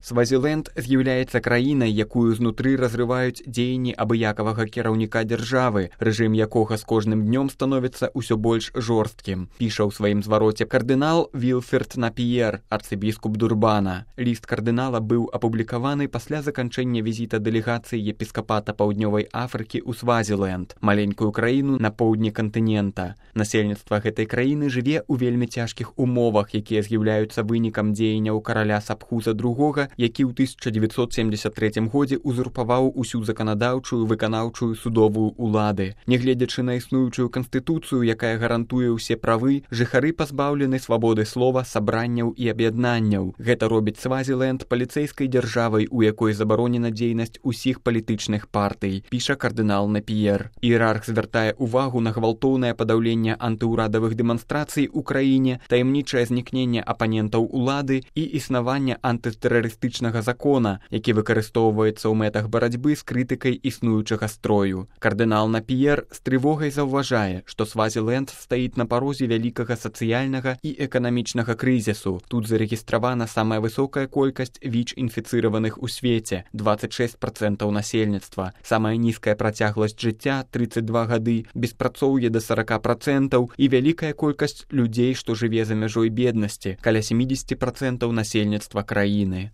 Свазіленд з'яўляецца краінай, якую знутры разрываюць дзеянні абыякавага кіраўніка дзяржавы, рэжым якога з кожным днём становіцца ўсё больш жорсткім, піша ў сваім звароце кардынал Вілферд Напіер, арцыбіскуп Дурбана. Ліст кардынала быў апублікаваны пасля заканчэння візіта дэлегацыі епіскапата Паўднёвай Афрыкі ў Свазіленд, маленькую краіну на поўдні кантынента. Насельніцтва гэтай краіны жыве ў вельмі цяжкіх умовах, якія з'яўляюцца вынікам дзеянняў караля Сапхуза II, які ў 1973 годзе узурпаваў усю заканадаўчую, выканаўчую, судовую улады. Нягледзячы на існуючую канстытуцыю, якая гарантуе ўсе правы, жыхары пазбаўлены свабоды слова, сабранняў і аб'яднанняў. Гэта робіць Свазіленд паліцэйскай дзяржавай, у якой забаронена дзейнасць усіх палітычных партый, піша кардынал Напіер. Іерарх звяртае ўвагу на гвалтоўнае падаўленне антыўрадавых дэманстрацый у краіне, таямнічае знікненне апанентаў улады і існаванне антытэрарыстычнага закона, які выкарыстоўваецца ў мэтах барацьбы з крытыкай існуючага строю. Кардынал Напіер з трывогай заўважае, што Свазіленд стаіць на парозе вялікага сацыяльнага і эканамічнага крызісу. Тут зарэгістравана самая высокая колькасць ВІЧ-інфіцыраваных у свеце – 26% насельніцтва, самая нізкая працягласць жыцця – 32 гады, беспрацоўе да 40% і вялікая колькасць людзей, што жыве за мяжой беднасці, каля 70% насельніцтва краіны.